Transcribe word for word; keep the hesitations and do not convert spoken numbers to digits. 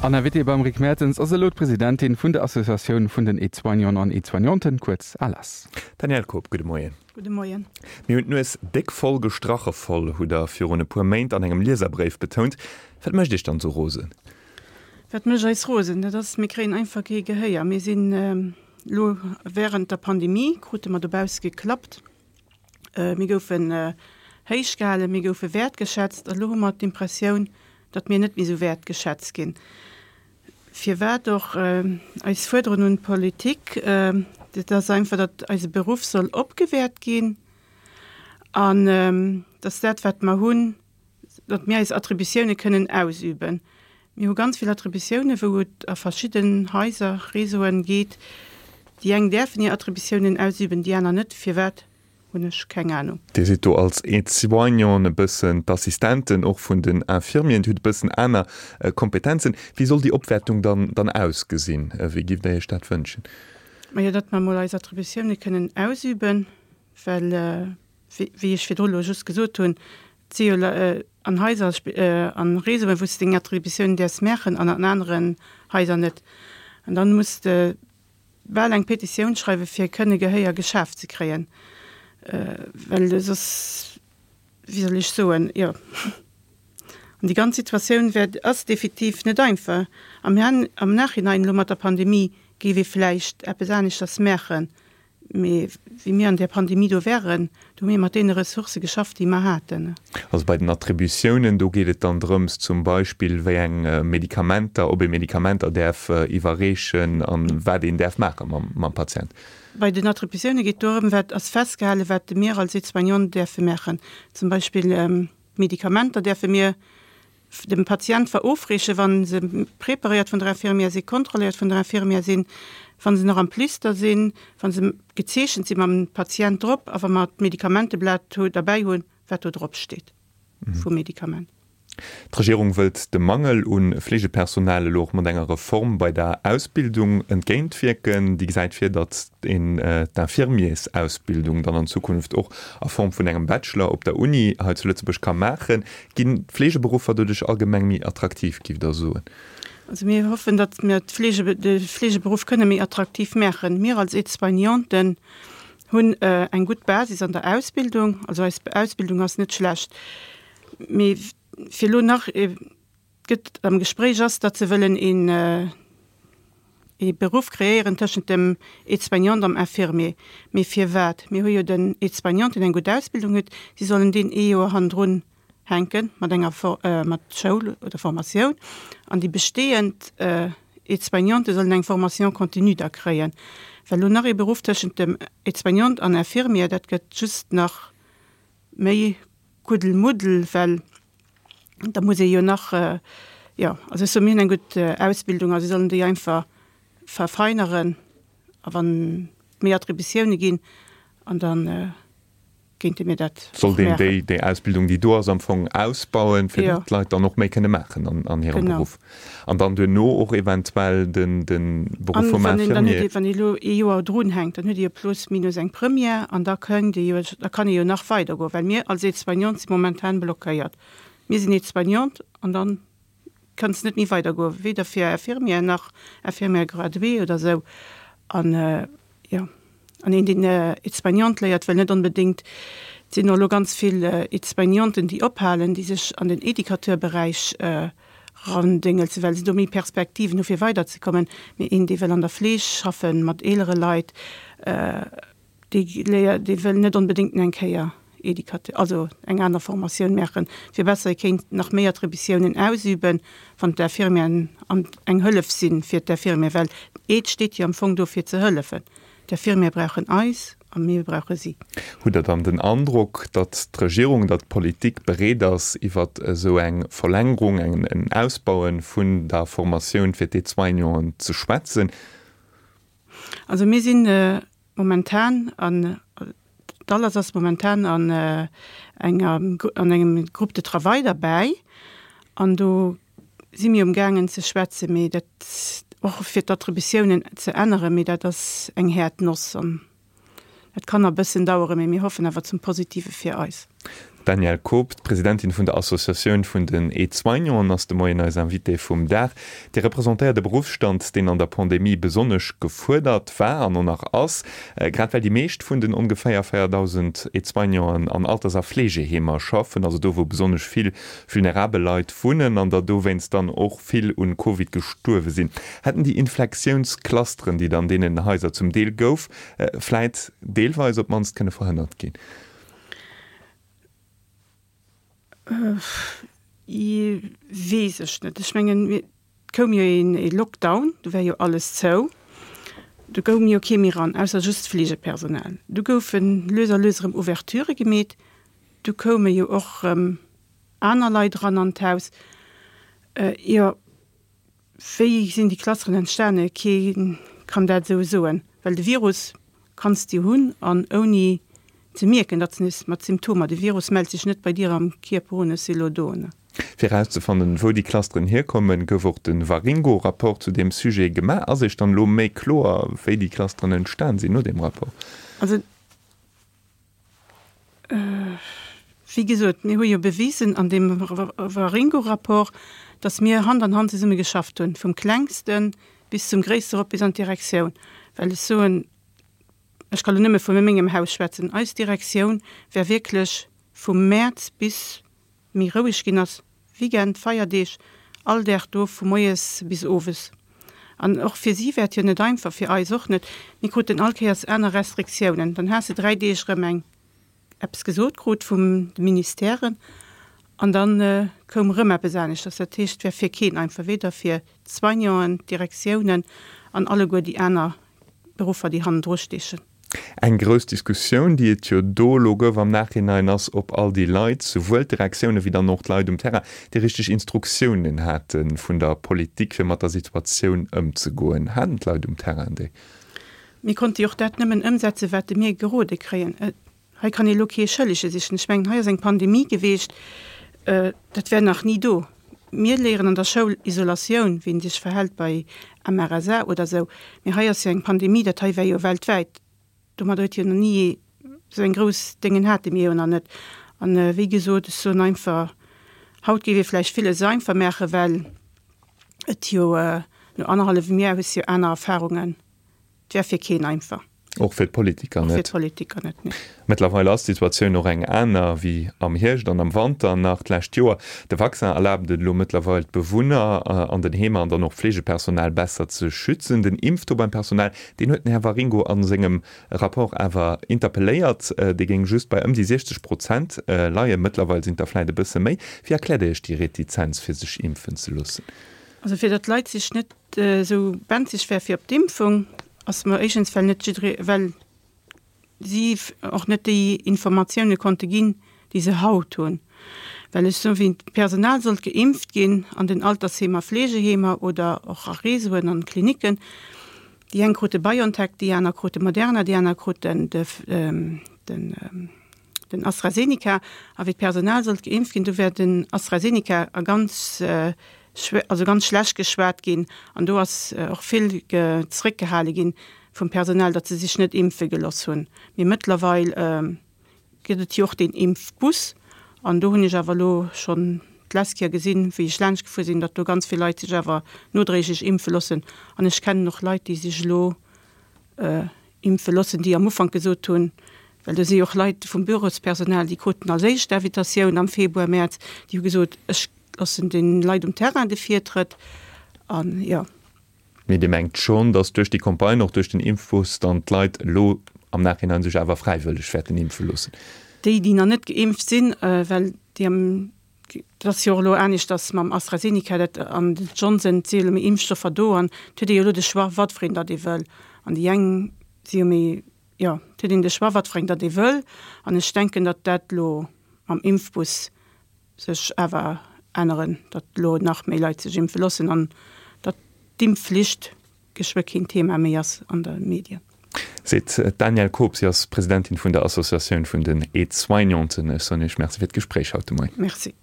An Invitée beim Rick Mertens ass elo d'Presidentin vun der Associatioun vun den Aide-soignanten an Aide-soignanten, kuerz ALAS. Danièle Koob, gudde Moien. Gudde Moien. Mir hunn d'Nues déck voll, gestrache voll, hutt Der virun e puer Méint an engem Lieserbréif betount. Wat mécht Iech dann esou rosen? Wat mécht eis rosen? Dat ass, mir kréien einfach kee Gehéier. Mir sinn elo während der Pandemie, krute mer dobausse geklappt. Mir goufen héich gehalen, mir goufe wäertgeschätzt. A lo hu mer d'Impressioun, datt mir net méi esou wäertgeschätzt ginn. Firwat och eis Fuerderung un d'Politik, dat ass einfach, datt eise Beruff soll opgewäert ginn an datt dat, wat mer hunn, datt mir eis Attributioune kënnen ausüben. Mir hu ganz vill Attributiounen, wou et a verschidden Haiser, Réseauen geet. Déi eng däerfen hir Attributiounen ausüben, déi aner net. Firwat? Hunn ech keng Ahnung. Dir sidd do als Aide-soignanten e bëssen d'Assistenten och vun den Infirmieren, Dir hutt e bëssen aner Kompetenzen. Wéi soll déi Opwäertung dann dann ausgesinn? Wéi giff Der Iech dat wënschen? Majo, datt mer emol eis Attributioune kënnen ausüben, well, wéi ech virdru elo just gesot hunn, et si jo an Haiser, an Réseauen, wou s de deng Attributiounen däerfs maachen an an aneren Haiser net. An dann muss de bal eng Petitioun schreiwen, fir kënne Gehéier geschaf ze kréien, well soss, wéi soll ech soen, jo. An déi ganz Situatioun wäert, ass definitiv net einfach. Am am Nachhinein, elo mat der Pandemie, géif ee vläicht eppes aneschters maachen. Mee wéi mir an där Pandemie do waren, do hu mir mat deene Ressourcë geschafft, déi mer haten. Also bei den Attributiounen, do geet et dann drëms zum Beispill, wéi eng Medikamenter, ob ee Medikamenter däerf iwwerreechen an wat een däerf maache mam Patient. Bei den Attributioune geet dorëm, wat ass festgehalen, wat mir als Aide-soignant däerfe maachen. Zum Beispill d'Medikamenter däerfe mir dem Patient verofreechen, wa se preparéiert vun der Infirmière sinn, kontrolléiert vun der Infirmière sinn, wa se nach am Plister sinn, wa se gezeechent si mam Patient drop a wa mer d'Medikamenteblat derbäi hunn, wat do drop steet vum Medikament. D'Regierung wëllt dem Mangel u Fleegepersonal elo och mat enger Reform bei der Ausbildung entgéintwierken. Déi gesäit vir, datt een d'Infirmiersausbildung dann an Zukunft och a Form vun engem Bachelor op der Uni hei zu Lëtzebuerg ka maachen. Ginn d'Fleegeberuffer doduerch allgemeng méi attraktiv, giff Der soen? Also mir hoffen, datt mir d'Fleege, de Fleegeberuff kënne méi attraktiv maachen. Mir als Aide-soignanten hunn eng gutt Basis an der Ausbildung. Also eis Ausbildung ass net schlecht. Mee fir elo nach, et gëtt am Gespréich ass, datt se wëllen een ee Beruff kreéieren tëschent dem Aide-soignant am Infirmier. Mee firwat? Mir hu jo den Aide-soignant, deen eng gutt Ausbildung huet, si sollen deen ee Joer hannendrun hänke mat enger mat Schoul oder Formatioun an déi bestehend Aide-soignante sollen eng Formation continue da kréien. Well elo nach ee Beruff tëschent dem Aide-soignant an Infirmier, dat gëtt just nach méi Kuddelmuddel, well da muss ee jo nach, jo, also ech soe mir hunn eng gutt Ausbildung a si sollen déi einfach verfeineren a wann méi Attributioune ginn an da kéinte mir dat och Sollt een maachen. déi, déi Ausbildung, déi do ass, am Fong ausbauen, fir Jo. datt d'Leit dann och méi kënne maachen an, an hirem Genau. Beruff an dann duerno och eventuell den, den Beruff An vum wann een dann huet Infirmier. ee, wann ee elo ee Joer drunhänkt, dann huet ee jo plus minus eng Première an da kënnt ee jo, da kann ee jo nach weidergoen, well mir als Aide-soignante si momentan blockéiert. Mir sinn Aide-soignante an dann kanns net méi weidergoen, weder fir Infirmière nach Infirmière graduée oder esou. An jo, an een deen Aide-soignante léiert, wëll net onbedéngt, et sinn och elo ganz vill Aide-soignanten déi ophalen, déi sech an den Educateur-Beräich erandéngelzen, well se do méi Perspektiven hu fir weiderzekommen. Mee een dee wëll an der Fleeg schaffen, mat eelere Leit, Dee léiert, dee wëll net onbedéngt eng Kéier Educateur, also eng aner Formatioun maachen, fir besser e kéint nach méi Attributiounen ausüben, wann d'Infirmieren an eng Hëllef si fir d'Infirmier, well d'Aide steet jo am Fong do fir ze hëllefen. D'Infirmiere brauchen eis a mir brauche si. Hutt Der dann den Androck, datt d'Regierung, datt d'Politik bereet ass, iwwer esou eng Verlängerung, en Ausbaue vun der Formatioun fir d'Aide-soignanten ze schwätzen? Also mir sinn momentan an, d'ALAS ass momentan an enger, an engem Groupe de travail derbäi an do si mir um gaangen ze schwätzen, mee dat och fir d'Attributiounen ze änneren, mee dat ass eng häert Noss an dat kann nach e bëssen daueren, mee mir hoffen awer zum Positive fir eis. D'Danièle Koob, d'Presidentin vun der Associatioun vun den Aide-soignanten, ass de Moien eis Invitée vum Dag. Dir representéiert e Beruffsstand, deen an der Pandemie besonnesch gefuerdert war an och nach ass, grad well déi meescht vun den ongeféier véierdausend Aide-soignanten an Alters a Fleegeheemer schaffen, also do wou besonnesch vill vulnerabel Leit wunnen an der dowéinst dann och vill un Covid gestuerwe sinn. Hätten déi Infektiounsclusteren, déi et an deenen Haiser zum Deel gouf, vläit deelweis op d'mannst kënne verhënnert ginn? Weess ech net. Ech mengen, et koum jo een ee Lockdown, do war jo alles zou. Do goung jo kee méi ran, ausser just d'Fleegepersonal. Du goufe lues a lues erëm Ouverturë gemeet. Du koume jo och erëm aner Leit eran an d'Haus. Jo, wéi sinn déi Clusteren entstane? Kee kann dat esou soen, well de Virus kanns de hunn an ouni ze mierken, datt s nees mat Symptomer, de Virus mellt sech net bei dir am Kierper un, ech si lo do. Fir erauszefannen, wou déi Clusteren hierkommen, gouf och de Waringo-Rapport zu deem Sujet gemaach. Ass Iech dann elo méi kloer, wéi déi Clusteren entstan sinn no deem Rapport? Also, wéi gesot, mir hu jo bewisen an deem Waringo-Rapport, datt mir Hand an Hand zesumme geschafft hunn, vum Klengste bis zum Gréisste erop bis an d'Direktioun. Well ech soen, Ech ka lo nëmme vu mengem Haus schwätzen, eis Direktioun war wierklech vum Mäerz bis méi roueg ginn ass, Weekend, Feierdeeg, all Dag do vu moies bis owes. An och fir si war et jo net einfach, fir eis och net. Mir kruten all Kéiers aner Restriktiounen. Dann has de dräi Deeg erëm eng eppes gesot krut vum de Ministèren an da koum erëm eppes aneschters. Dat heescht, et war fir keen einfach, weder fir d'Soignanten, d'Direktiounen an alleguer déi aner Beruffer, déi hannendru steechen. Eng grouss Diskussioun, déi et jo do elo gouf am Nachhinein, ass, ob all déi Leit, souwuel d'Direktioune wéi dann och d'Leit um Terrain, déi richteg Instruktiounen hate vun der Politik, fir mat der Situatioun ëmzegoen. Haten d'Leit um Terrain déi? Mir konnte jo och dat nëmmen ëmsetzen, wat mir gerode kréien. Hei kann ee lo kee Schëllege sichen. Ech mengen, hei ass eng Pandemie geweecht, dat wär nach ni do. Mir léieren an der Schoul Isolatioun, wéi een sech verhält bei M R S A oder sou, mee hei ass jo eng Pandemie, dat hei war jo weltwäit, domadder huet jo nach ni ee, sou eng grouss Déngen hate mir jo nach net. An wéi gesot, ech soen einfach, haut géif ee vläicht villes einfach maachen, well et jo no annerhallewem Joer hues jo aner Erfahrungen. Et wär fir keen einfach. Och fir d'Politiker net. Och fir d'Politiker net, nee. Mëttlerweil ass d'Situatioun och eng aner wéi am Hierscht an am Wanter nach d'lescht Joer. De Vaccin erlaabt et elo mëttlerweil d'Bewunner an den Heemer an dann och d'Fleegepersonal besser ze schützen. Den Impftaux beim Personal, deen huet den Här Waringo a sengem Rapport awer interpelléiert, dee géing just bei ëm déi siechzeg Prozent leien. Mëttlerweil sinn et der vläit e bësse méi. Wéi erkläert Dir Iech déi Retizenz fir sech impfen ze loossen? Also fir datt d'Leit sech net esou benzeg wär fir op d'Impfung, ass mer éischtens well net jidderee, well si och net déi Informatioune konnte ginn, déi se haut hunn. Well ech soen, wéi d'Personal sollt geimpft ginn an den Altersheemer, Fleegeheemer oder och a Réseauen an Klinicken, déi eng krute BioNTech, déi aner krute Moderna, déi aner kruten de den den AstraZeneca. A wéi d'Personal sollt geimpft ginn, du wär den AstraZeneca a ganz also ganz schlecht geschwat ginn an do ass och vill zréckgehale ginn vum Personal, datt se sech net impfe geloss hunn. Mee mëttlerweil gëtt et jo och deen Impfbus an do hunn ech awer elo schonn d'lescht Kéier gesinn, wéi ech laanscht gefuer sinn, datt do ganz vill Leit sech awer nodréiglech impfe loossen. An ech kennen och Leit, déi sech elo impfe loossen, déi am Ufank gesot hunn, well do si jo och Leit vum Bürospersonal, déi kruten als éischt d'Invitatioun am Februar, Mäerz, déi hu gesot, ech loossen de Leit um Terrain de Virtrëtt an, jo. Mee Dir mengt schonn, datt duerch déi Campagne, och duerch den Impfbus, dann d'Leit elo am Nachhinein sech awer fräiwëlleg wäerten impfe loossen? Déi, déi nach net geimpft sinn, well déi am, dat ass jo och elo aneschters mam AstraZeneca dat an den Johnson, et si jo elo méi Impfstoffer do an et huet ee jo elo de Choix, wat fir een datt ee wëll. An déi eng si jo méi, jo, et huet een de Choix, wat fir eng datt ee wëll. An ech denken, datt dat elo mam Impfbus sech awer änneren, datt elo nach méi Leit sech impfe loossen an datt d'Impfflicht geschwë keen Thema méi ass an de Medien. Seet d'Danièle Koob. Si ass Presidentin vun der Associatioun vun den Aide-soignanten. Ech soen Iech Merci fir d'Gespréich haut de Moien. Merci.